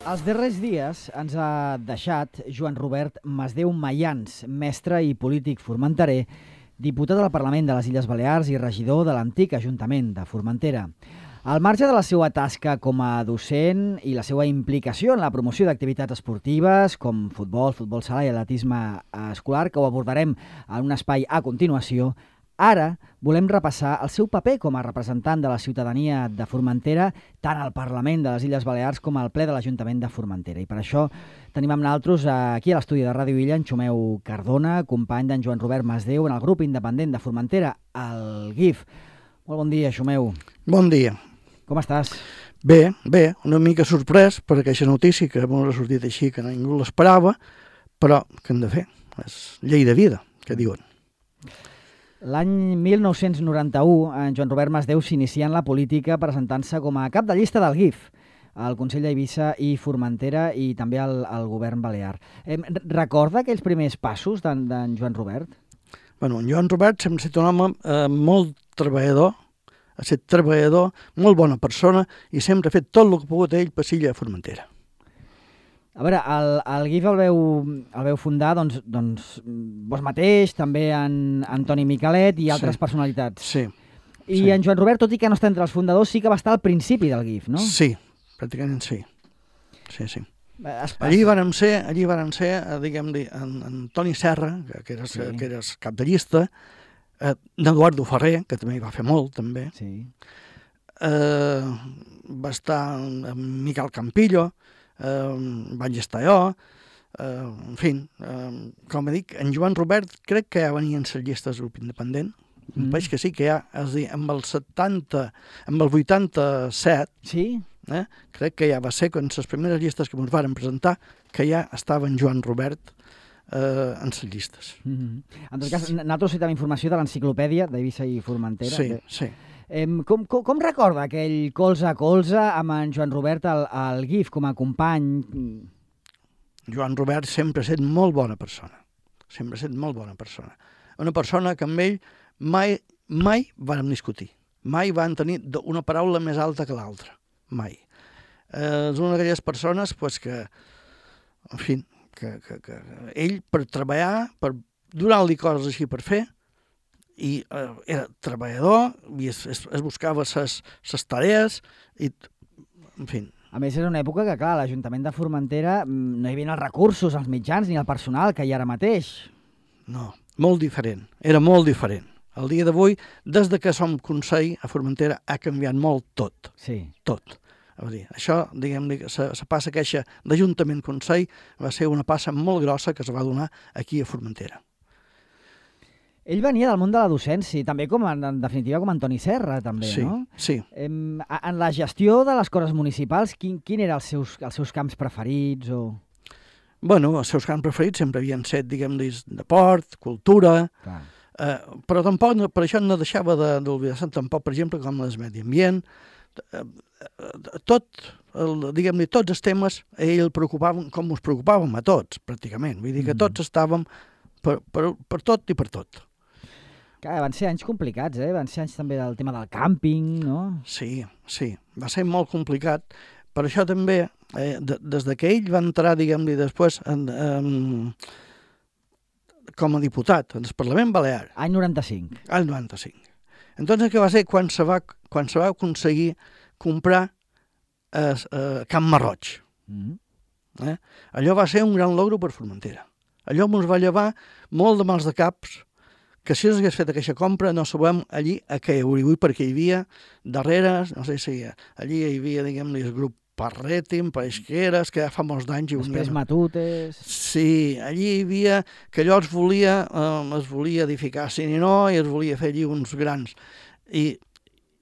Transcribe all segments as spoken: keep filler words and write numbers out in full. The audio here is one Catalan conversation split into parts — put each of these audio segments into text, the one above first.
Els darrers dies ens ha deixat Joan Robert Masdeu Mayans, mestre i polític formenterer, diputat al Parlament de les Illes Balears i regidor de l'antic Ajuntament de Formentera. Al marge de la seva tasca com a docent i la seva implicació en la promoció d'activitats esportives com futbol, futbol sala i atletisme escolar, que ho abordarem en un espai a continuació, ara volem repassar el seu paper com a representant de la ciutadania de Formentera tant al Parlament de les Illes Balears com al ple de l'Ajuntament de Formentera. I per això tenim amb nosaltres aquí a l'estudi de Ràdio Illa en Xumeu Cardona, company d'en Joan Robert Masdeu en el grup independent de Formentera, el G I F. Molt bon dia, Xumeu. Bon dia. Com estàs? Bé, bé, una mica sorprès per aquesta notícia que m'ha sortit així, que ningú l'esperava, però què hem de fer? És llei de vida, que diuen. L'any mil nou-cents noranta-u, en Joan Robert Masdeu s'inicia en la política presentant-se com a cap de llista del G I F, al Consell d'Eivissa i Formentera i també al, al govern balear. Eh, recorda aquells primers passos d'en Joan Robert? Bueno, en Joan Robert sempre ha estat un home eh, molt treballador, ha estat treballador, molt bona persona i sempre ha fet tot el que ha pogut ell per Silla a Formentera. A veure, el, el G I F el veu, el veu fundar, doncs, doncs, vos mateix, també en Antoni Miquelet i altres sí. personalitats. Sí. I sí. en Joan Robert, tot i que no està entre els fundadors, sí que va estar al principi del G I F, no? Sí, pràcticament sí. Sí, sí. Es, allí vàrem ser, allí vàrem ser, diguem-ne, en, en Toni Serra, que, que, eres, sí. que eres cap de llista, eh, d'Eduardo Ferrer, que també hi va fer molt, també. Sí. Eh, va estar en Miquel Campillo, Uh, vaig estar jo, uh, en fi, uh, com dic, en Joan Robert crec que ja venia en les llistes del grup independent, mm. veig que sí que ja, és a dir, amb el setanta, amb el vuitanta-set, sí? eh, crec que ja va ser con les primeres llistes que ens varen presentar, que ja estava en Joan Robert uh, en les llistes. Mm-hmm. En tot cas, nosaltres citem informació de l'enciclopèdia d'Eivissa i Formentera. Sí, que... sí. Eh, com, com, com recorda aquell colze a colze amb en Joan Robert al, al G I F com a company? Joan Robert sempre ha estat molt bona persona. Sempre ha estat molt bona persona. Una persona que amb ell mai, mai vàrem discutir. Mai van tenir una paraula més alta que l'altra. Mai. Eh, és una d'aquelles persones pues, que, en fi, que, que, que ell per treballar, per donar-li coses així per fer, i eh, era treballador i es, es, es buscava les tarees i, en fi. A més, era una època que, clar, a l'Ajuntament de Formentera no hi havia els recursos, els mitjans ni el personal que hi ha ara mateix. No, molt diferent. Era molt diferent. El dia d'avui, des de que som Consell a Formentera, ha canviat molt tot. Sí. Tot. A dir, això, diguem-ne, la passa queixa d'Ajuntament-Consell va ser una passa molt grossa que es va donar aquí a Formentera. Ell venia del món de la docència, també com, en, en definitiva, com Antoni Serra, també, sí, no? Sí, en, en la gestió de les coses municipals, quin, quin eren els seus, els seus camps preferits? O... Bueno, els seus camps preferits sempre havien set, diguem-ne, de port, cultura, eh, però tampoc, no, per això no deixava d'oblidar-se tampoc, per exemple, com el medi ambient, eh, tot, el, diguem-ne, tots els temes, a ell el preocupaven com ens preocupàvem a tots, pràcticament. Vull dir que tots estàvem per, per, per tot i per tot. Clar, van ser anys complicats, eh? Van ser anys també del tema del càmping, no? Sí, sí, va ser molt complicat. Per això també, eh, de, des que ell va entrar, diguem-ne, després en, en, com a diputat en el Parlament Balear. Any noranta-cinc. Any noranta-cinc. Entonces, què va ser quan se va, quan se va aconseguir comprar eh, eh, Camp Marroig? Mm-hmm. eh? Allò va ser un gran logro per Formentera. Allò ens va llevar molt de mals de caps, que si s'hagués fet aquesta compra no sabem allí a què hi hauria, perquè hi havia darrere, no sé si allí hi havia, diguem-ne, el grup Parretim, Paisqueres, que ja fa molts d'anys... Després Matutes... Sí, allí hi havia, que allò es volia, eh, es volia edificar a Sininó i es volia fer allí uns grans. I,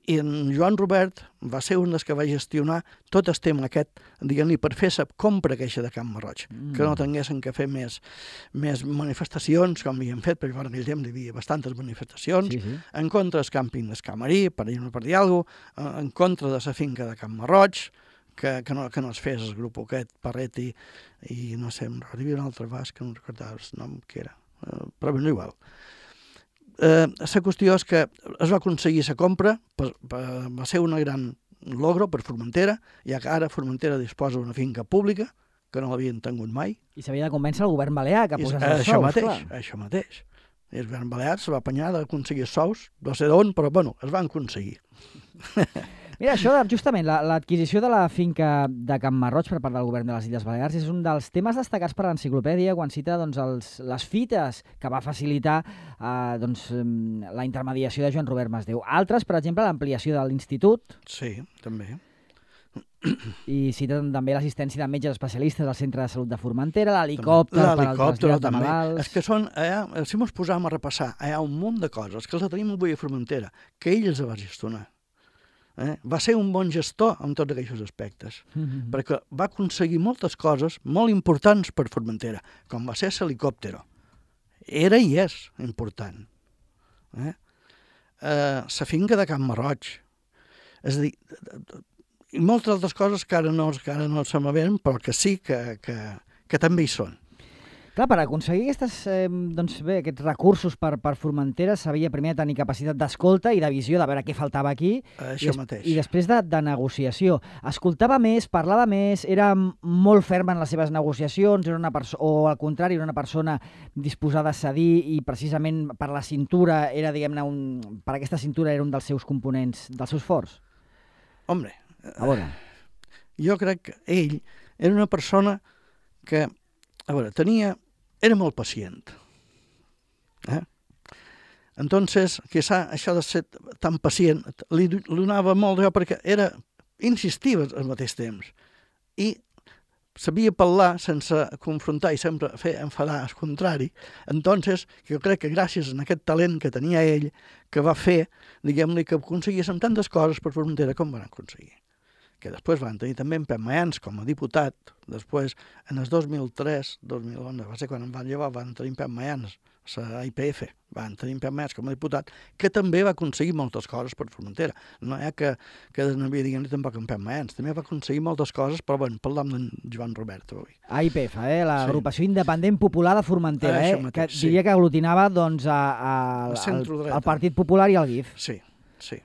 i en Joan Robert va ser un dels que va gestionar tot el tema aquest, diguem-ne, per fer la compra queixa de Camp Marroig, mm. que no tinguessin que fer més, més manifestacions, com havien fet, perquè en aquell temps hi havia bastantes manifestacions, sí, sí. En contra del càmping del Camarí, per dir-ne per dir alguna cosa, en contra de la finca de Camp Marroig, que, que, no, que no es fes el grup aquest, Parreti, i no sé, hi havia un altre basc que no recordava el nom que era, però ben igual. Eh, la qüestió és que es va aconseguir la compra, per, per, va ser una gran logro per Formentera, ja que ara Formentera disposa d'una finca pública, que no l'havien tingut mai. I s'havia de convèncer el govern balear que posés els això sous, mateix, clar. Això mateix. I el govern balear se va apanyar d'aconseguir els sous, no sé d'on, però bueno, es van aconseguir. Mira, això de, justament, l'adquisició de la finca de Can Marroig per part del govern de les Illes Balears és un dels temes destacats per l'enciclopèdia quan cita doncs, els, les fites que va facilitar eh, doncs, la intermediació de Joan Robert Masdeu. Altres, per exemple, l'ampliació de l'institut. Sí, també. I citen també l'assistència de metges especialistes al centre de salut de Formentera, l'helicòpter per al trasllat de malalts... És que són, eh, si ens posàvem a repassar, hi ha un munt de coses que els tenim avui a Formentera, que ell els va gestionar. Eh? Va ser un bon gestor en tots aquests aspectes, mm-hmm. perquè va aconseguir moltes coses molt importants per Formentera, com va ser l'helicòpter. Era i és important. Eh? Eh, la finca de Can Marroig. És a dir, i moltes altres coses que ara no, que ara no se m'aven, però que sí que, que, que també hi són. Clar, per aconseguir aquestes, eh, doncs bé, aquests recursos per, per Formentera s'havia primer de tenir capacitat d'escolta i de visió, de veure què faltava aquí, Això i, mateix. i després de, de negociació. Escoltava més, parlava més, era molt ferm en les seves negociacions, era una perso- o al contrari, era una persona disposada a cedir i precisament per la cintura, era, diguem-ne, un, per aquesta cintura era un dels seus components, dels seus forts. Home, a veure. Jo crec que ell era una persona que, a veure, tenia... era molt pacient. Eh? Entonces, quizá això de ser tan pacient li donava molt jo perquè era insistiva al mateix temps i sabia parlar sense confrontar i sempre fer enfadar al contrari. Entonces, jo crec que gràcies a aquest talent que tenia ell, que va fer, diguem-li, que aconseguíssim tantes coses per Formentera com van aconseguir. Que després van tenir també en Pep Mayans com a diputat, després en el dos mil tres, dos mil onze, va ser quan em van llevar, van tenir en Pep Mayans, a I P F, van tenir en Pep Mayans com a diputat, que també va aconseguir moltes coses per Formentera. No hi ha que, que desnavia, diguem-ne, tampoc en Pep Mayans, també va aconseguir moltes coses, però bueno, parlam d'en Joan Robert avui. A I P F, eh? l'Agrupació sí. Independent Popular de Formentera, ah, eh? mateix, que sí. diria que aglutinava doncs, a, a, al, al Partit Popular i al G I F. Sí, sí.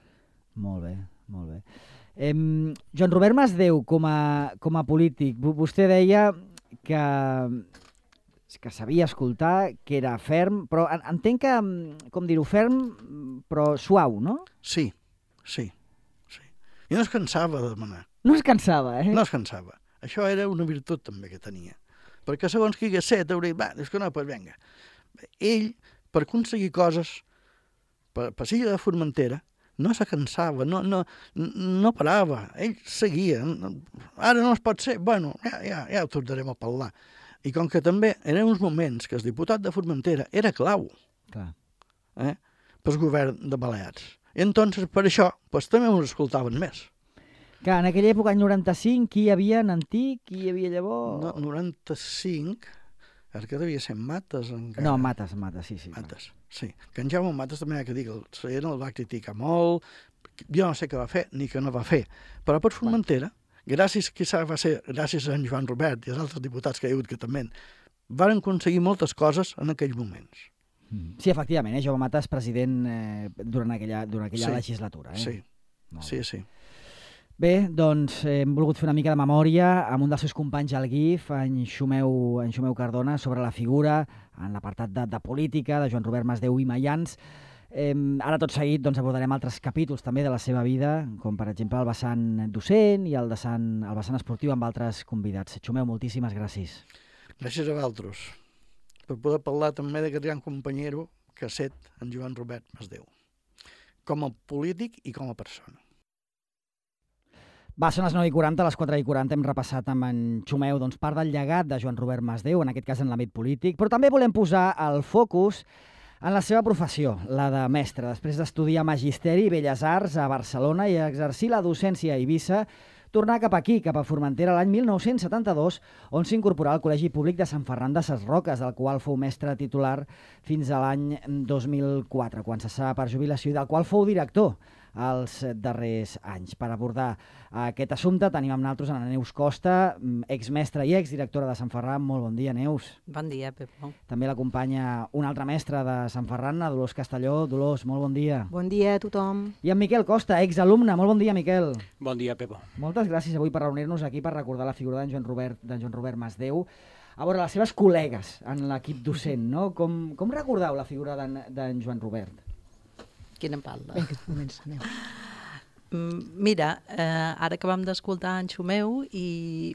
Molt bé, molt bé. Eh, Joan Robert Masdeu, com a, com a polític, vostè deia que, que sabia escoltar, que era ferm, però entenc que, com dir-ho, ferm, però suau, no? Sí, sí, sí. I no es cansava de demanar. No es cansava, eh? No es cansava. Això era una virtut també que tenia. Perquè segons qui hagués set, hauria dit, va, dius que no, doncs vinga. Ell, per aconseguir coses, per, per ser de Formentera, no se cansava, no, no, no parava, ell seguia. Ara no es pot ser, bueno, ja, ja, ja ho tornarem a parlar. I com que també eren uns moments que el diputat de Formentera era clau eh, pel govern de Balears. I entonces, per això, pues, també ens escoltaven més. Que en aquella època, any noranta-cinc, qui hi havia en Antic, qui hi havia llavors? No, noranta-cinc... Ara que devia ser Mates encara. No, Mates, Mates, sí, sí. Mates, sí. Que en Jaume Mates també ha que dir que el Sallent el va criticar molt, jo no sé què va fer ni què no va fer, però per Formentera, gràcies, quizà va ser gràcies a en Joan Robert i als altres diputats que hi ha hagut que també, van aconseguir moltes coses en aquells moments. Sí, efectivament, eh? Jaume Mates, president eh, durant aquella, durant aquella sí, legislatura. Eh? Sí, molt sí, sí. Bé, doncs eh, hem volgut fer una mica de memòria amb un dels seus companys al G I F, en Xumeu, en Xumeu Cardona, sobre la figura en l'apartat de, de política de Joan Robert Masdeu i Mayans. Eh, ara tot seguit doncs, abordarem altres capítols també de la seva vida, com per exemple el vessant docent i el, de Sant, el vessant esportiu amb altres convidats. Xumeu, moltíssimes gràcies. Gràcies a vosaltres per poder parlar també d'aquest gran companyero que ha set en Joan Robert Masdeu, com a polític i com a persona. Va, són les nou i quaranta, a les quatre i quaranta hem repassat amb en Xumeu doncs, part del llegat de Joan Robert Masdeu, en aquest cas en l'àmbit polític, però també volem posar el focus en la seva professió, la de mestre. Després d'estudiar Magisteri i Belles Arts a Barcelona i exercir la docència a Eivissa, tornar cap aquí, cap a Formentera, l'any mil nou-cents setanta-dos, on s'incorporà al Col·legi Públic de Sant Ferran de ses Roques, del qual fou mestre titular fins a l'any dos mil quatre, quan cessà per jubilació, i del qual fou director els darrers anys. Per abordar aquest assumpte tenim amb nosaltres a Neus Costa, exmestra i exdirectora de Sant Ferran. Molt bon dia, Neus. Bon dia, Pepo. També l'acompanya una altra mestra de Sant Ferran, la Dolors Castelló. Dolors, molt bon dia. Bon dia a tothom. I en Miquel Costa, exalumne. Molt bon dia, Miquel. Bon dia, Pepo. Moltes gràcies avui per reunir-nos aquí per recordar la figura d'en Joan Robert, d'en Joan Robert Masdeu. A veure, les seves col·legues en l'equip docent, no? Com, com recordeu la figura d'en Joan Robert? Qui en parla? Vinga, comença, Neus. Mira, eh, ara acabam d'escoltar en Xumeu i,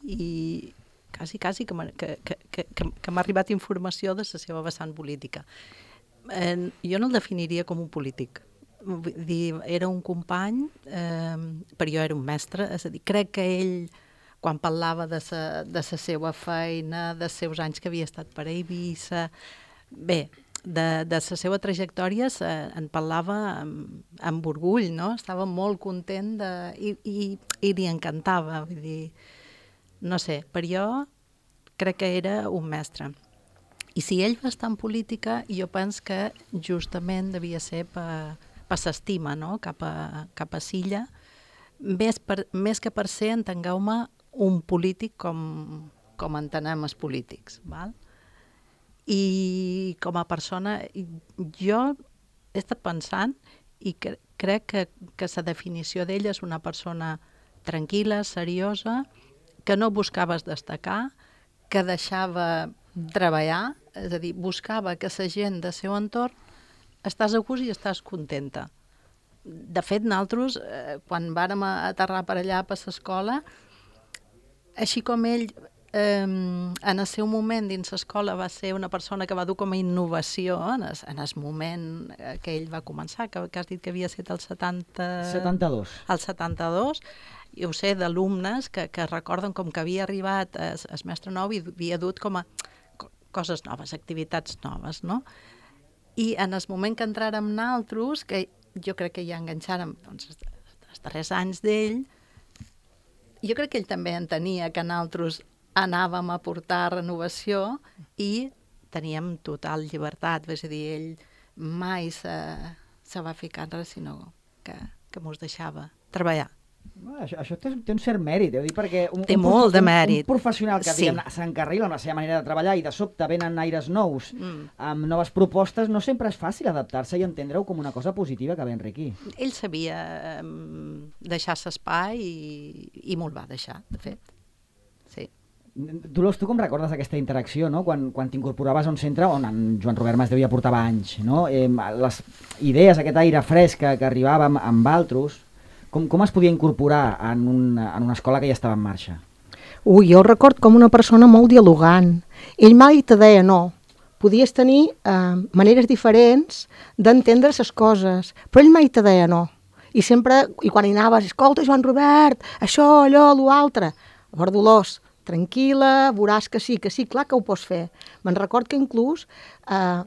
i quasi, quasi que m'ha que, que, que, que m'ha arribat informació de la seva vessant política. Eh, jo no el definiria com un polític. Vull dir, era un company, eh, però jo era un mestre, és a dir, crec que ell, quan parlava de sa, de sa seva feina, dels seus anys que havia estat per a Eivissa, bé, de, de la seva trajectòria eh, en parlava amb, amb orgull, no? Estava molt content de, i, i, i li encantava, vull dir, no sé, per jo crec que era un mestre. I si ell va estar en política, jo penso que justament devia ser per, per l'estima, no? cap, a, cap a Silla, més, per, més que per ser, entengueu-me, un polític com, com entenem els polítics, val? I com a persona, jo he estat pensant i cre crec que, que la definició d'ell és una persona tranquil·la, seriosa, que no buscaves destacar, que deixava treballar, és a dir, buscava que la gent del seu entorn estàs a gust i estàs contenta. De fet, nosaltres, eh, quan vàrem aterrar per allà per l'escola, així com ell Eh, en el seu moment dins l'escola va ser una persona que va dur com a innovació en el, en el moment que ell va començar, que, que has dit que havia estat el setanta... setanta-dos. El setanta-dos, i ho sé d'alumnes que, que recorden com que havia arribat el, el mestre nou i havia dut com a coses noves, activitats noves, no? I en el moment que entràrem nosaltres, que jo crec que ja enganxàrem doncs, els darrers anys d'ell, jo crec que ell també entenia que nosaltres anàvem a portar renovació i teníem total llibertat, és a dir, ell mai se, se va ficar en res, sinó que, que mos deixava treballar. Bueno, això això té, té un cert mèrit, heu dit, perquè un, té un, molt de mèrit. Un, un professional que sí. s'encarrila amb la seva manera de treballar i de sobte venen aires nous, mm. amb noves propostes, no sempre és fàcil adaptar-se i entendre-ho com una cosa positiva que ve enriquir. Ell sabia um, deixar l'espai i, i me'l va deixar, de fet. Sí. Dolors, tu com recordes aquesta interacció, no? Quan, quan t'incorporaves a un centre on en Joan Robert Masdeu ja portava anys, no? Eh, les idees, aquest aire fresc que, que arribava amb, amb altres, com, com es podia incorporar en, un, en una escola que ja estava en marxa? Ui, jo el record com una persona molt dialogant. Ell mai te deia no. Podies tenir eh, maneres diferents d'entendre les coses, però ell mai te deia no. I sempre, i quan hi anaves, escolta, Joan Robert, això, allò, allò altre. A veure, Dolors, tranquil·la, veuràs que sí, que sí, clar que ho pots fer. Me'n record que inclús eh,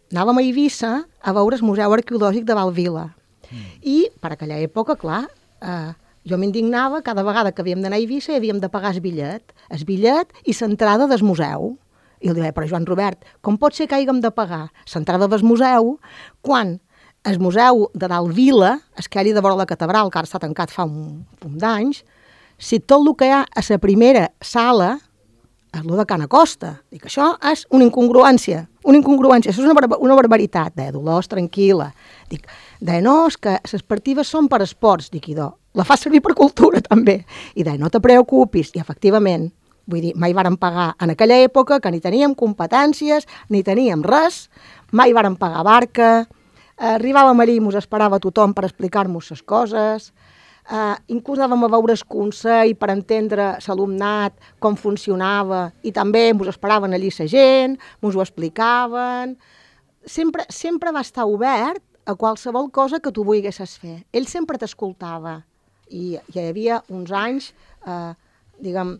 anàvem a Eivissa a veure el Museu Arqueològic de Valvila. Mm. I per aquella època, clar, eh, jo m'indignava cada vegada que havíem d'anar a Eivissa i havíem de pagar el bitllet, el bitllet i l'entrada del museu. I li deia, però Joan Robert, com pot ser que haguem de pagar l'entrada del museu quan el museu de dalt Vila, aquell de vora la catedral, que ara està tancat fa un punt d'anys, si tot el que hi ha a la primera sala és el de Can Acosta. Dic, això és una incongruència, una incongruència, això és una, bar una barbaritat. Deia, Dolors, tranquil·la. Dic, deia, no, és que les partides són per esports. Dic, idò, la fa servir per cultura, també. I deia, no te preocupis. I, efectivament, vull dir, mai vàrem pagar en aquella època que ni teníem competències, ni teníem res, mai vàrem pagar barca, arribàvem allí i mos esperava tothom per explicar-nos les coses. Uh, inclús anàvem a veure el Consell per entendre l'alumnat, com funcionava, i també ens esperaven allí la gent, ens ho explicaven. Sempre, sempre va estar obert a qualsevol cosa que tu volguessis fer. Ell sempre t'escoltava. I hi havia uns anys, eh, diguem,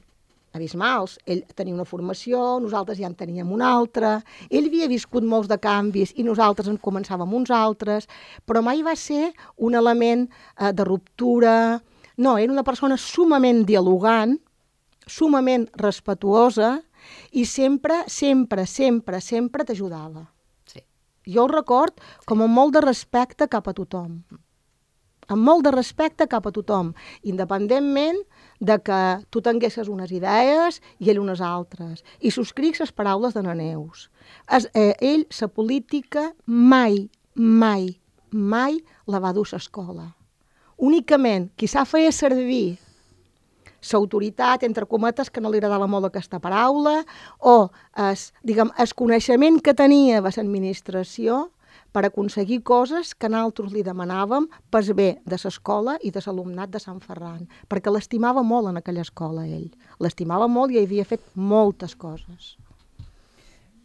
abismals. Ell tenia una formació, nosaltres ja en teníem una altra, ell havia viscut molts de canvis i nosaltres en començàvem uns altres, però mai va ser un element eh, de ruptura. No, era una persona sumament dialogant, sumament respetuosa i sempre, sempre, sempre, sempre t'ajudava. Sí. Jo el record com amb molt de respecte cap a tothom. amb molt de respecte cap a tothom, independentment de que tu tinguessis unes idees i ell unes altres. I subscric les paraules de Neus. Es, eh, ell, la política, mai, mai, mai la va dur a l'escola. Únicament, qui s'ha fet servir l'autoritat, entre cometes, que no li agradava molt aquesta paraula, o es, diguem, el coneixement que tenia de l'administració per aconseguir coses que nosaltres li demanàvem per bé de l'escola i de l'alumnat de Sant Ferran, perquè l'estimava molt en aquella escola, ell. L'estimava molt i havia fet moltes coses.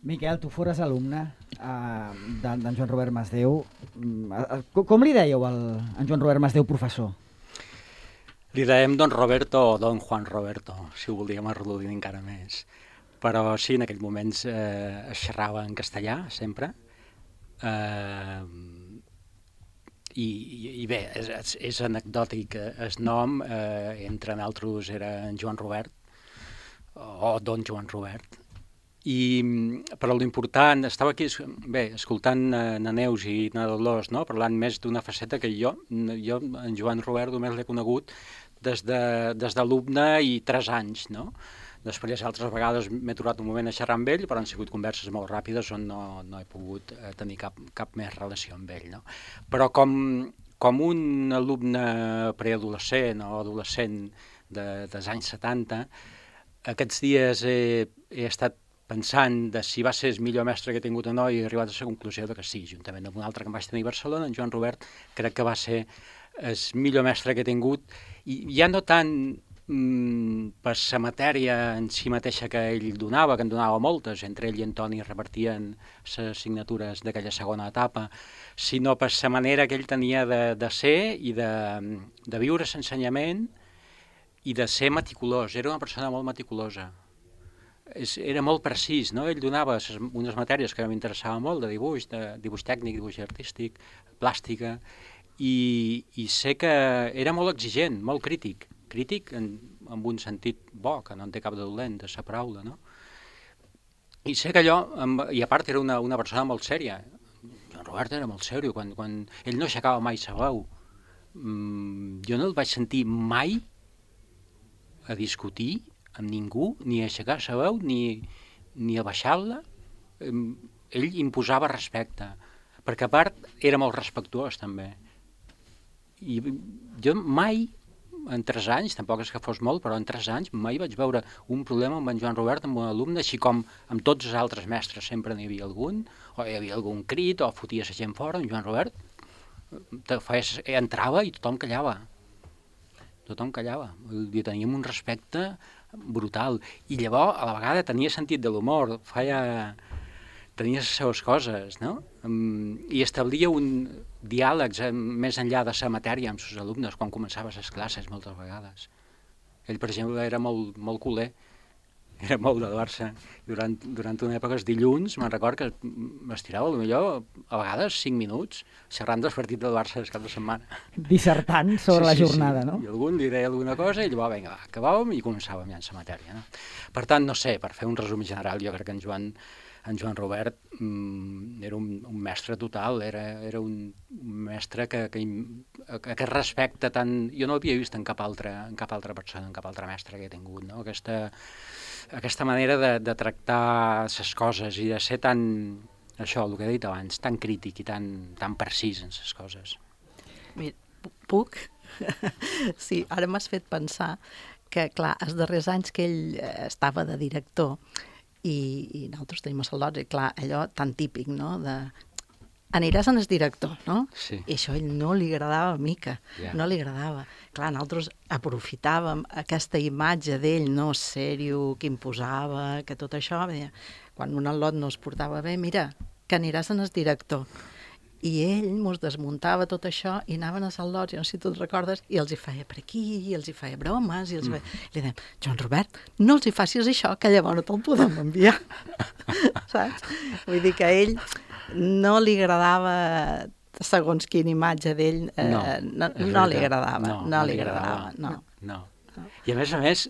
Miquel, tu fores alumne uh, d'en Joan Robert Masdeu. Com, com li dèieu al, a en Joan Robert Masdeu, professor? Li dèiem Don Roberto o Don Juan Roberto, si ho volíem arrodonir encara més. Però sí, en aquells moments eh, es xerrava en castellà, sempre. Uh, i, i bé, és, és, és anecdòtic el nom, uh, entre nosaltres era en Joan Robert o Don Joan Robert, i, però l'important, estava aquí bé, escoltant uh, na Neus i na Dolors, no? Parlant més d'una faceta que jo, jo en Joan Robert només l'he conegut des de, des d'alumne i tres anys, no? Després, altres vegades m'he aturat un moment a xerrar amb ell, però han sigut converses molt ràpides on no, no he pogut eh, tenir cap, cap més relació amb ell. No? Però com, com un alumne preadolescent o adolescent de, dels anys setanta, aquests dies he, he estat pensant de si va ser el millor mestre que he tingut o no i he arribat a la conclusió de que sí, juntament amb un altre que em vaig tenir a Barcelona, en Joan Robert, crec que va ser el millor mestre que he tingut, i ja no tant per la matèria en si mateixa que ell donava, que en donava moltes, entre ell i Antoni repartien les signatures d'aquella segona etapa, sinó per la manera que ell tenia de, de ser i de, de viure l'ensenyament i de ser meticulós. Era una persona molt meticulosa. És, era molt precís, no? Ell donava ses, unes matèries que m'interessaven molt, de dibuix, de dibuix tècnic, dibuix artístic, plàstica, i, i sé que era molt exigent, molt crític, crític en, en un sentit bo, que no en té cap de dolent, de sa paraula, no? I sé que allò, i a part era una, una persona molt sèria, en Robert era molt sèrio, quan, quan ell no aixecava mai sa veu, mm, jo no el vaig sentir mai a discutir amb ningú, ni a aixecar sa veu, ni, ni a baixar-la, ell imposava respecte, perquè a part era molt respectuós també, i jo mai, en tres anys, tampoc és que fos molt, però en tres anys mai vaig veure un problema amb en Joan Robert, amb un alumne, així com amb tots els altres mestres sempre n'hi havia algun, o hi havia algun crit, o fotia la gent fora, en Joan Robert te fes, entrava i tothom callava. Tothom callava. I teníem un respecte brutal. I llavors, a la vegada, tenia sentit de l'humor, feia... tenia les seves coses, no? I establia un diàleg més enllà de la matèria amb els seus alumnes quan començava les classes moltes vegades. Ell, per exemple, era molt, molt culer, era molt de Barça. Durant, durant una època, els dilluns, me'n record que m'estirava, potser, a vegades, cinc minuts, xerrant dels partits del Barça des cap de setmana. Dissertant sobre sí, la jornada, sí, sí. No? I algun li deia alguna cosa i llavors, vinga, va, acabàvem i començàvem ja en la matèria. No? Per tant, no sé, per fer un resum general, jo crec que en Joan En Joan Robert mm, era un, un mestre total, era, era un, un mestre que, que, que aquest respecte tan... Jo no l'havia vist en cap, altra, en cap altra persona, en cap altre mestre que he tingut, no? Aquesta, aquesta manera de, de tractar les coses i de ser tan, això, el que he dit abans, tan crític i tan, tan precís en les coses. Mira, puc? Sí, ara m'has fet pensar que, clar, els darrers anys que ell estava de director, i, i nosaltres tenim a Saldots, i clar, allò tan típic, no?, de aniràs en el director, no? Sí. I això a ell no li agradava mica, yeah. no li agradava. Clar, nosaltres aprofitàvem aquesta imatge d'ell, no, sèrio, que imposava, que tot això, deia, quan un al·lot no es portava bé, mira, que aniràs en el director. I ell mos desmuntava tot això i anaven a Saldots, jo no sé si tu et recordes, i els hi feia per aquí, i els hi feia bromes, i els mm. feia... Li dèiem, Joan Robert, no els hi facis això, que llavors no te'l podem enviar. Saps? Vull dir que a ell no li agradava, segons quina imatge d'ell, eh, no, no, no li agradava, no, no li agradava, no. no. no. I a més a més,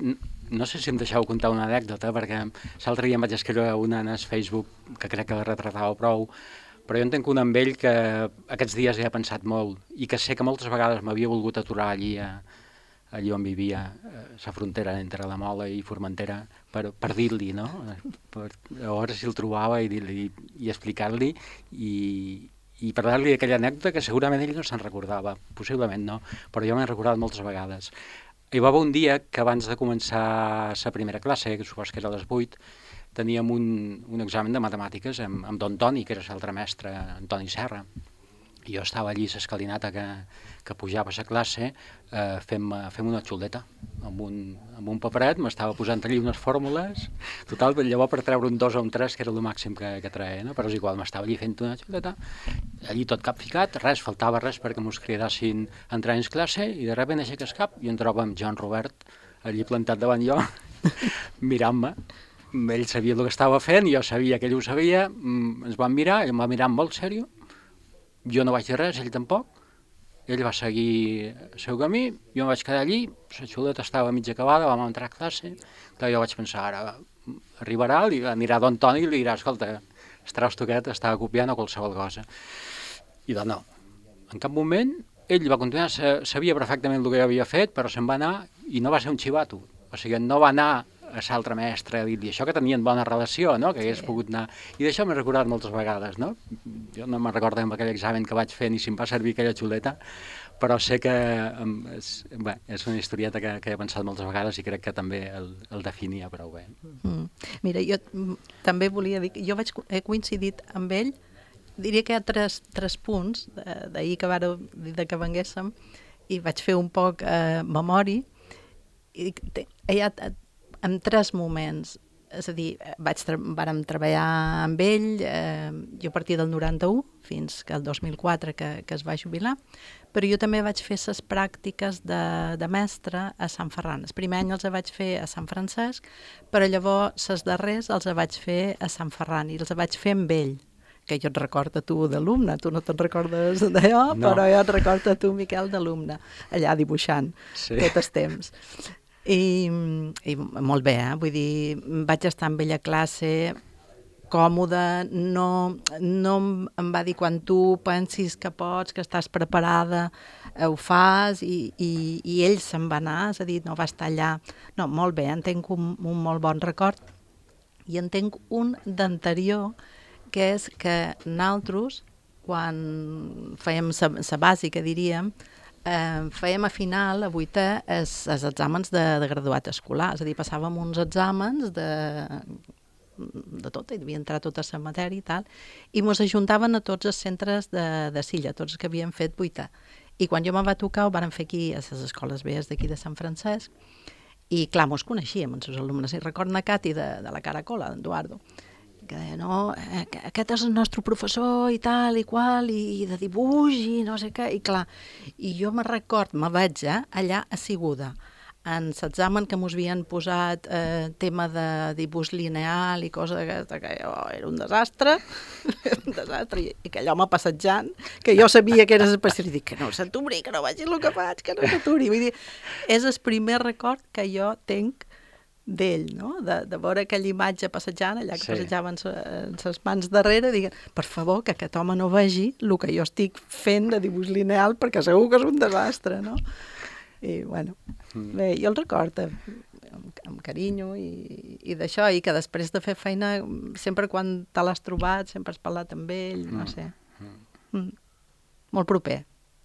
no sé si em deixeu contar una anècdota, perquè l'altre dia em vaig escriure una en el Facebook, que crec que la retratava prou, però jo entenc un amb ell que aquests dies he pensat molt i que sé que moltes vegades m'havia volgut aturar allí a, allí on vivia, la frontera entre la Mola i Formentera, per, per dir-li, no? Per, llavors si el trobava i dir-li i explicar-li i, i parlar-li d'aquella anècdota que segurament ell no se'n recordava, possiblement no, però jo m'he recordat moltes vegades. Hi va haver un dia que abans de començar la primera classe, que supos que era a les vuit, teníem un, un examen de matemàtiques amb, amb don Toni, que era l'altre mestre, Antoni Serra. I jo estava allí a l'escalinata que, que pujava a la classe eh, fent, fent una xuleta amb un, amb un paperet, m'estava posant allí unes fórmules, total, llavors per treure un dos o un tres, que era el màxim que, que treia, no? Però és igual, m'estava allí fent una xuleta, allí tot cap ficat, res, faltava res perquè mos cridassin a entrar en classe, i de sobte aixeca el cap i em trobo amb Joan Robert allí plantat davant jo, mirant-me. Ell sabia el que estava fent, jo sabia que ell ho sabia, ens vam mirar, ell em va mirar molt seriós, jo no vaig dir res, ell tampoc, ell va seguir el seu camí, jo em vaig quedar allí, la xuleta estava mig acabada, vam entrar a classe, clar, jo vaig pensar, ara arribarà, li anirà don Toni i li dirà, escolta, el trasto aquest estava copiant o qualsevol cosa. I doncs no, en cap moment ell va continuar, sabia perfectament el que jo havia fet, però se'n va anar i no va ser un xivato, o sigui, no va anar a l'altre mestre a dir-li això, que tenien bona relació, no? Que hagués sí. pogut anar... I d'això m'he recordat moltes vegades, no? Jo no me'n recordo amb aquell examen que vaig fer ni si em va servir aquella xuleta, però sé que és, bé, és una historieta que, que he pensat moltes vegades i crec que també el, el definia prou bé. Mm. Mira, jo també volia dir que jo vaig, he coincidit amb ell, diria que hi ha tres, tres punts d'ahir que vàreu dir que venguéssim, i vaig fer un poc eh, memòria, i hi ha en tres moments, és a dir, vaig tra vàrem treballar amb ell, eh, jo a partir del noranta-u fins que el dos mil quatre que, que es va jubilar, però jo també vaig fer les pràctiques de, de mestre a Sant Ferran. El primer any els vaig fer a Sant Francesc, però llavors les darrers els vaig fer a Sant Ferran i els vaig fer amb ell, que jo et recordo a tu d'alumne, tu no te'n recordes d'allò, no. Però jo et recordo a tu, Miquel, d'alumne, allà dibuixant sí. Tot el temps. I, i molt bé, eh? Vull dir, vaig estar amb ella a classe, còmode, no, no em va dir quan tu pensis que pots, que estàs preparada, ho fas, i, i, i ell se'n va anar, és a dir, no va estar allà. No, molt bé, en tenc un, un molt bon record, i en tenc un d'anterior, que és que nosaltres, quan fèiem la bàsica, diríem, Eh, fèiem a final, a vuitè, els, els exàmens de, de graduat escolar, és a dir, passàvem uns exàmens de, de tot, hi devia entrar tota la matèria i tal, i ens ajuntaven a tots els centres de, de Silla, tots que havien fet vuitè. I quan jo me'n va tocar, ho vàrem fer aquí a les escoles vees d'aquí de Sant Francesc, i clar, mos coneixíem, els seus alumnes. I recordo a Cati de, de la Caracola, d'Eduardo, que deia, no, aquest és el nostre professor i tal i qual, i de dibuix i no sé què, i clar, i jo me record, me vaig eh, allà asseguda, en l'examen que mos havien posat eh, tema de dibuix lineal i cosa d'aquesta, que oh, era un desastre, un desastre, i, i que allò m'ha passejant, que jo sabia que eres especial, i dic que no s'aturi, que no vagi el que faig, que no s'aturi, vull dir, és el primer record que jo tenc d'ell, no? De, de veure aquella imatge passejant, allà que sí. Passejaven les mans darrere, diguen, per favor, que aquest home no vegi el que jo estic fent de dibuix lineal, perquè segur que és un desastre, no? I, bueno, bé, jo el recordo amb, amb carinyo i, i d'això, i que després de fer feina, sempre quan te l'has trobat, sempre has parlat amb ell, no sé. Mm. Molt proper.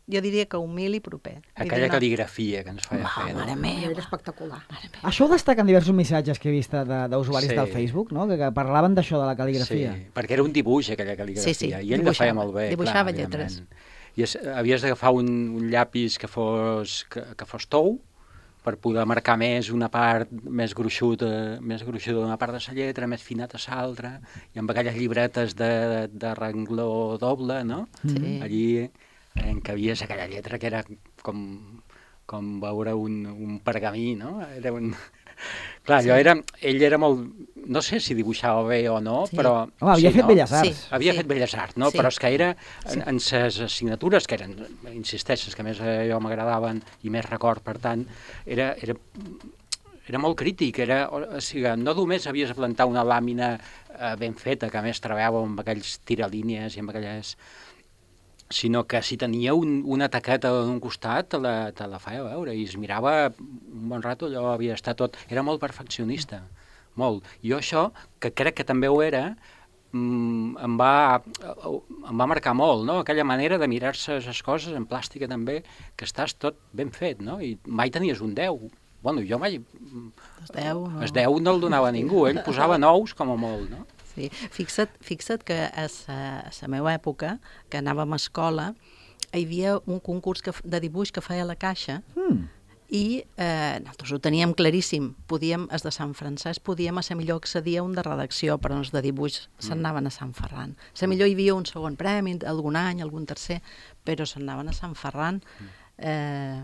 Jo diria que humil i proper. Aquella una... cal·ligrafia que ens feia oh, fer. Mare meva. Era espectacular. Això ho destaquen diversos missatges que he vist d'usuaris sí. del Facebook, no? que, que parlaven d'això, de la cal·ligrafia. Sí, perquè era un dibuix, aquella cal·ligrafia, sí, sí. i ell la feia molt bé. Dibuixava clar, lletres. I es, havies d'agafar un, un llapis que fos, que, que fos tou, per poder marcar més una part més gruixuda, més gruixuda d'una part de la lletra, més finata a l'altra, i amb aquelles llibretes de, de rengló doble, no? Sí. Allí en què havies aquella lletra que era com, com veure un, un pergamí, no? Era un... Clar, sí. era, ell era molt... No sé si dibuixava bé o no, sí. però... Home, havia sí, fet no? Belles Arts. Sí. Havia sí. fet Belles Arts, no? Sí. Però és que era en, sí. en ses assignatures, que eren, insisteixes, que més a jo m'agradaven i més record, per tant, era, era, era molt crític, era, o sigui, no només havies de plantar una làmina eh, ben feta, que a més treballava amb aquells tiralínies i amb aquelles... sinó que si tenia un, una taqueta d'un costat, te la, te la feia veure, i es mirava un bon rato, allò havia estat tot... Era molt perfeccionista, molt. Jo això, que crec que també ho era, em va, em va marcar molt, no? Aquella manera de mirar-se les coses en plàstica també, que estàs tot ben fet, no? I mai tenies un deu. Bueno, jo mai... El deu no. El deu no el donava a ningú, ell posava nous com a molt, no? Sí. Fixa't, fixa't que a la meva època, que anàvem a escola, hi havia un concurs que, de dibuix que feia la Caixa, mm. i eh, nosaltres ho teníem claríssim. Podíem, els de Sant Francesc podíem a ser millor accedir a un de redacció, però els de dibuix se'n anaven a Sant Ferran. A ser millor hi havia un segon premi, algun any, algun tercer, però se'n anaven a Sant Ferran. Eh,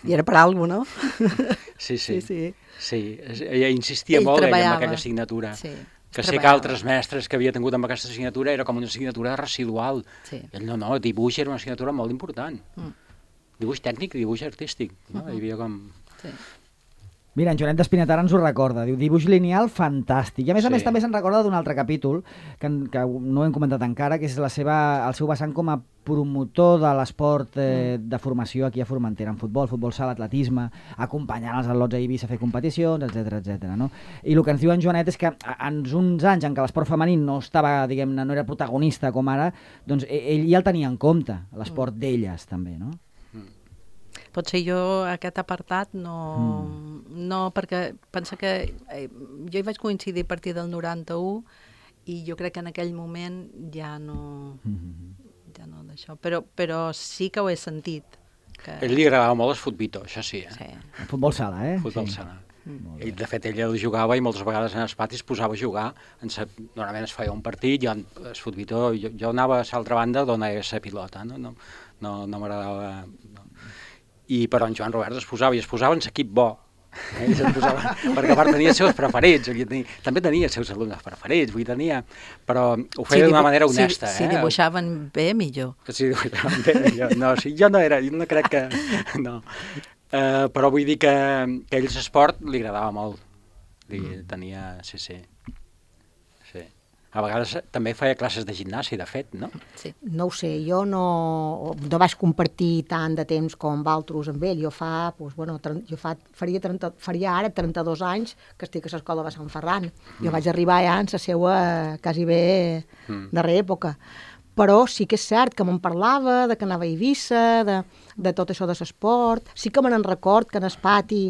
I era per alguna cosa, no? Sí, sí. sí, sí. sí. Ella insistia Ell molt ella, treballava. en aquella assignatura. Sí. Que sé que altres mestres que havia tingut amb aquesta assignatura era com una assignatura residual. Sí. Ell no, no, dibuix era una assignatura molt important. Mm. Dibuix tècnic i dibuix artístic. No? Uh-huh. Hi havia com... Sí. Mira, en Joanet d'Espinatara ens ho recorda, diu dibuix lineal fantàstic. I a més sí. a més també se'n recorda d'un altre capítol, que, que no hem comentat encara, que és la seva, el seu vessant com a promotor de l'esport eh, de formació aquí a Formentera, en futbol, futbol sala, atletisme, acompanyant els atlots a Eivissa a fer competicions, etcètera, etcètera. No? I el que ens diu en Joanet és que en uns anys en què l'esport femení no estava, diguem-ne, no era protagonista com ara, doncs ell ja el tenia en compte, l'esport mm. d'elles també, no? Potser jo aquest apartat no, mm. no perquè pensa que eh, jo hi vaig coincidir a partir del noranta-u i jo crec que en aquell moment ja no, mm. ja no d'això, però, però sí que ho he sentit. Que... Ell li agradava molt el futbito, això sí. Eh? sí. El futbol sala, eh? Futbol sí. sala. Mm. Ell, de fet, ell el jugava i moltes vegades en els patis posava a jugar. En sa... Normalment es feia un partit, jo, el futbito, jo, jo anava a l'altra banda d'on era la pilota, no, no, no, no m'agradava... No. I però en Joan Robert es posava, i es posava en l'equip bo. Eh? Es posava, perquè a part tenia els seus preferits, tenia, també tenia els seus alumnes preferits, vull tenia, però ho feia si d'una manera honesta. Si, si eh? dibuixaven bé, millor. Si dibuixaven bé, millor. No, si jo no era, jo no crec que... No. Uh, però vull dir que, que a ell l'esport li agradava molt. Li tenia... Sí, sí. Sí. A vegades també feia classes de gimnàsia, de fet, no? Sí. No ho sé, jo no, no vaig compartir tant de temps com altres amb ell. Jo fa, doncs, bueno, jo fa, faria, trenta, faria ara trenta-dos anys que estic a l'escola de Sant Ferran. Jo mm. vaig arribar ja en la seva quasi bé mm. darrera època. Però sí que és cert que me'n parlava, de que anava a Eivissa, de, de tot això de l'esport. Sí que me n'en record que en el pati,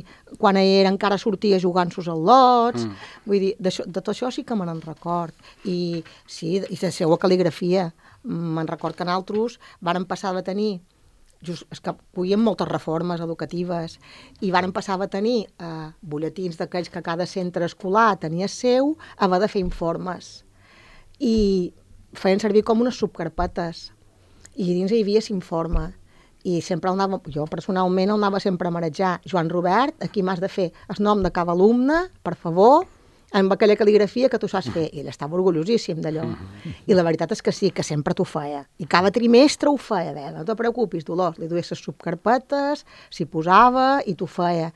quan era encara sortia jugant sus al lots. Mm. Vull dir, de, de tot això sí que me n'en record. I sí, i la seva cal·ligrafia. Me'n record que nosaltres vàrem passar de tenir, just, és que coïem moltes reformes educatives, i vàrem passar a tenir eh, butlletins d'aquells que cada centre escolar tenia seu, a haver de fer informes. I feien servir com unes subcarpetes i dins hi havia l'informe i sempre el anava, jo personalment el anava sempre a marejar. Joan Robert, aquí m'has de fer el nom de cada alumne, per favor, amb aquella cal·ligrafia que tu saps fer. I ell estava orgullosíssim d'allò. I la veritat és que sí, que sempre t'ho feia. I cada trimestre ho feia. Deia, no te preocupis, Dolors, li duia les subcarpetes, s'hi posava i t'ho feia.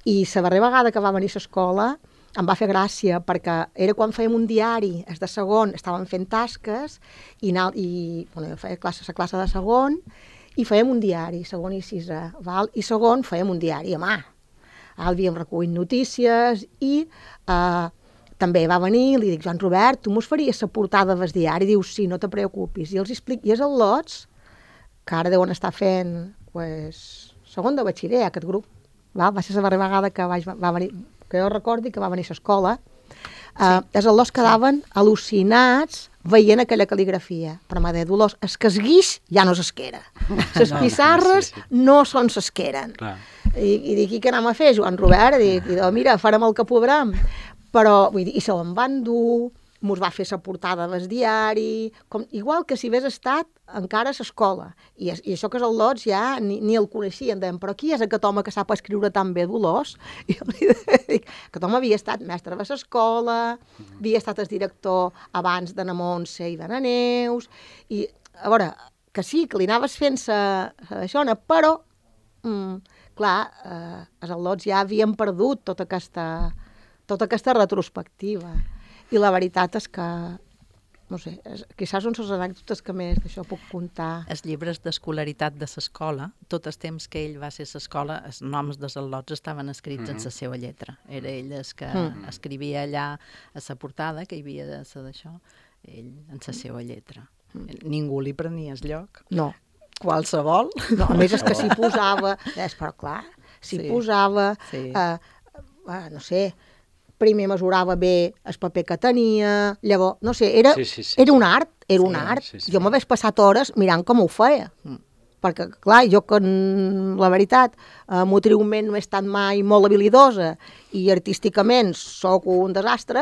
I la darrera vegada que va venir a l'escola em va fer gràcia, perquè era quan fèiem un diari, els de segon estàvem fent tasques, i, i bueno, jo feia classe, la classe de segon, i fèiem un diari, segon i sisè, val? I segon fèiem un diari a mà. Havíem recollit notícies, i eh, també va venir, li dic, Joan Robert, tu mos faries la portada del diari? Diu, sí, no te preocupis. I els explico, i és el Lots, que ara deuen estar fent, pues, segon de batxiller, aquest grup. Val? Va ser la darrera vegada que vaig, va venir, que jo recordi que va venir a l'escola, sí. uh, els al·los quedaven sí. al·lucinats veient aquella cal·ligrafia. Però m'ha dit, Dolors, es que es guix ja no s'esquera. Les no, pissarres sí, sí. no són s'esqueren. I, I dic, i què anem a fer, Joan Robert? I dic, mira, farem el que podrem. Però, vull dir, i se van dur, mos va fer la portada del diari, com, igual que si hagués estat encara a l'escola. I, I això que és el Lots ja ni, ni el coneixien, deien, però qui és aquest home que sap escriure tan bé, Dolors? I jo li dic, aquest home havia estat mestre de l'escola, havia estat el director abans de na Montse i de na Neus, i a veure, que sí, que li anaves fent sa, sa d'això, però mm, clar, eh, els al·lots ja havien perdut tota aquesta, tota aquesta retrospectiva. I la veritat és que, no sé, és, quizás són les anècdotes que més d'això puc contar. Els llibres d'escolaritat de l'escola, tot el temps que ell va ser a l'escola, els noms dels al·lots estaven escrits mm -hmm. en la seva lletra. Era ell el que mm. escrivia allà a la portada, que hi havia de ser d'això, ell en la seva lletra. Mm. Ningú li prenia el lloc. No. Qualsevol. No, a més és que s'hi posava, és, però clar, s'hi sí. posava, sí. Eh, eh, no sé, primer mesurava bé el paper que tenia, llavors, no sé, era, sí, sí, sí. era un art, era sí, un art. Sí, sí. Jo m'hagués passat hores mirant com ho feia. Mm. Perquè, clar, jo que, la veritat, eh, motriument no he estat mai molt habilidosa i artísticament sóc un desastre,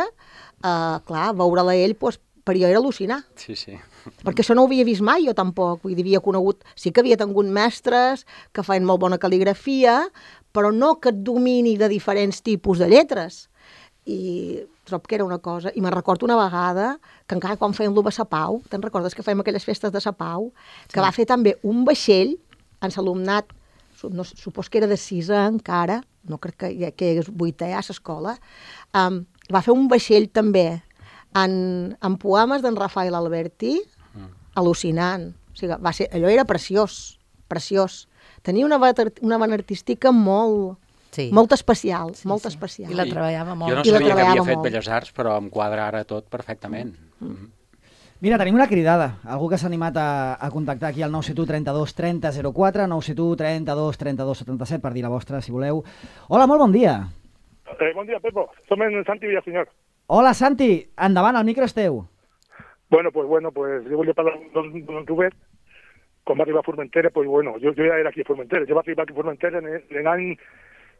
eh, clar, veure-la ell, doncs, per jo era al·lucinar. Sí, sí. Perquè això no ho havia vist mai, jo tampoc. Vull dir, havia conegut, sí que havia tingut mestres que feien molt bona cal·ligrafia, però no aquest domini de diferents tipus de lletres. I trobo que era una cosa, i me'n recordo una vegada que encara quan fèiem l'U B S Pau, te'n recordes que fèiem aquelles festes de Sa Pau, que sí. va fer també un vaixell en l'alumnat, no, supos que era de sisè encara, no crec que, que hi hagués vuitè a l'escola, um, va fer un vaixell també en, en poemes d'en Rafael Alberti, mm. al·lucinant. O sigui, va ser, allò era preciós, preciós. Tenia una, una vena artística molt... Sí. Molt especial, sí, molt sí. especial. I la treballava molt. Jo no sabia que havia fet molt. Belles Arts, però em quadra ara tot perfectament. Mm. Mm. Mira, tenim una cridada. Algú que s'ha animat a, a contactar aquí al nou set u trenta-dos trenta zero quatre, nou set u trenta-dos trenta-dos setanta-set per dir la vostra, si voleu. Hola, molt bon dia. Eh, bon dia, Pepo. Som en Santi Villaseñor. Hola, Santi. Endavant, el micro és teu. Bueno, pues bueno, pues jo volia parlar d'un don Robert. Quan va arribar a Formentera, pues bueno, jo, jo ja era aquí a Formentera. Jo va arribar aquí a Formentera en l'any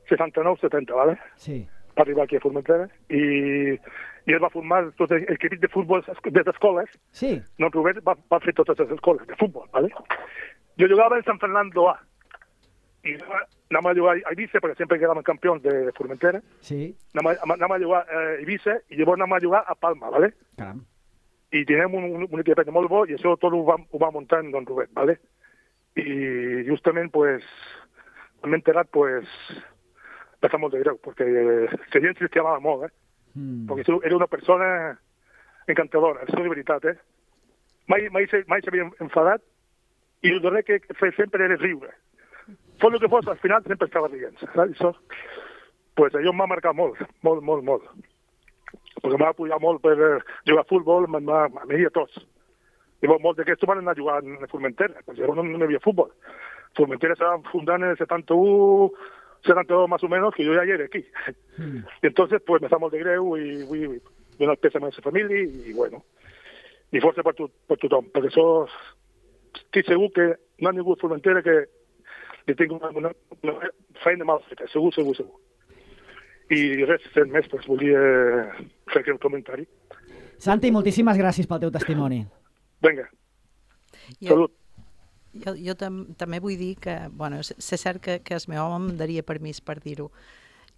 seixanta-nou setanta, ¿vale? Sí. Va arribar aquí a Formentera i, i es va formar tot l'equip de futbol de les escoles. Sí. Don Robert va, va fer totes les escoles de futbol, ¿vale? Jo jugava en San Fernando A i anàvem a jugar a Ibiza, perquè sempre quedàvem campions de, de Formentera. Sí. Anàvem a jugar a Ibiza i llavors anàvem a jugar a Palma, ¿vale? Caram. I teníem un, un, un equip molt bo i això tot ho va, ho va muntar en Don Robert, ¿vale? I justament, pues, m'he enterat, pues, va ser molt de greu, perquè la gent s'hi estimava molt, eh? Mm. Perquè era una persona encantadora, això de veritat, eh? Mai, mai, mai s'havia enfadat i el darrer que feia sempre era riure. Fos el que fos, al final sempre estava rient, saps? Això, pues, allò m'ha marcat molt, molt, molt, molt. Perquè em va apoyar molt per jugar a futbol, em va, a mi i a tots. Llavors, molts d'aquests van anar a jugar a Formentera, perquè llavors no, no hi havia futbol. Formentera estava fundant en el setanta-u, setanta-dos más o menos, que jo ja hi era aquí. Mm. I entonces, pues, me fa molt de greu i vull donar el pèsame a la família i, bueno, i força per, tu, per tothom, perquè això estic segur que no ha ningú a Formentera que li tingui una, una, una feina mal feta, segur, segur, segur. I res, fent més, doncs volia fer aquest comentari. Santi, moltíssimes gràcies pel teu testimoni. Vinga, jo, salut. Jo, jo tam, també vull dir que, bueno, sé cert que, que el meu home em daria permís per dir-ho,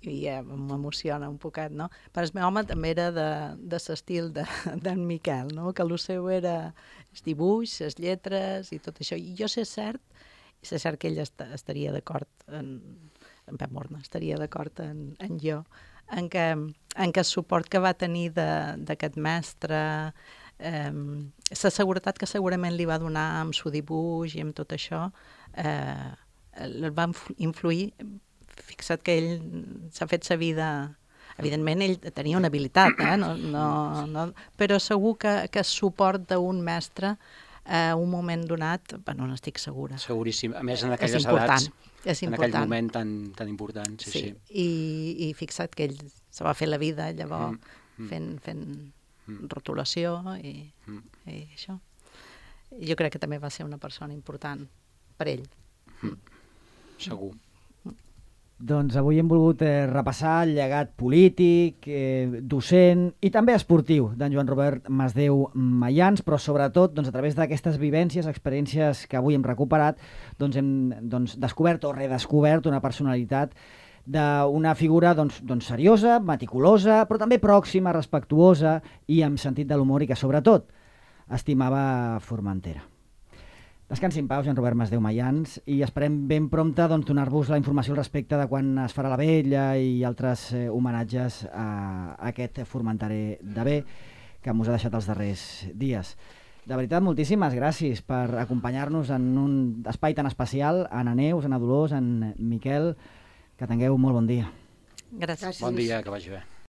i eh, m'emociona un poquet, no? Però el meu home també era de, de l'estil d'en de, Miquel, no? Que el seu era el dibuix, les lletres i tot això. I jo sé cert, i sé cert que ell est estaria d'acord en... en Pep Morna, estaria d'acord en, en jo, en que, en que el suport que va tenir d'aquest mestre, eh, la seguretat que segurament li va donar amb el dibuix i amb tot això, eh, el va influir. Fixa't que ell s'ha fet sa vida... Evidentment, ell tenia una habilitat, eh? no, no, no, però segur que, que el suport d'un mestre a un moment donat, bueno, no estic segura. Seguríssim. A més, en aquelles edats, és en aquell moment tan, tan important. Sí, sí. sí. I, I fixa't que ell se va fer la vida llavors mm, mm. fent, fent mm. rotulació i, mm. i això. I jo crec que també va ser una persona important per ell. Mm. Segur. Doncs avui hem volgut eh, repassar el llegat polític, eh, docent i també esportiu d'en Joan Robert Masdeu Mayans, però sobretot doncs, a través d'aquestes vivències, experiències que avui hem recuperat, doncs hem doncs, descobert o redescobert una personalitat d'una figura doncs, doncs, seriosa, meticulosa, però també pròxima, respectuosa i amb sentit de l'humor i que sobretot estimava Formentera. Descansi en pau, Joan Robert Masdeu Mayans, i esperem ben prompte doncs, donar-vos la informació al respecte de quan es farà la vetlla i altres eh, homenatges a aquest formenterer de bé que mos ha deixat els darrers dies. De veritat, moltíssimes gràcies per acompanyar-nos en un espai tan especial, a Anna Neus, a Anna Dolors, a en Miquel, que tingueu molt bon dia. Gràcies. Bon dia, que vagi bé.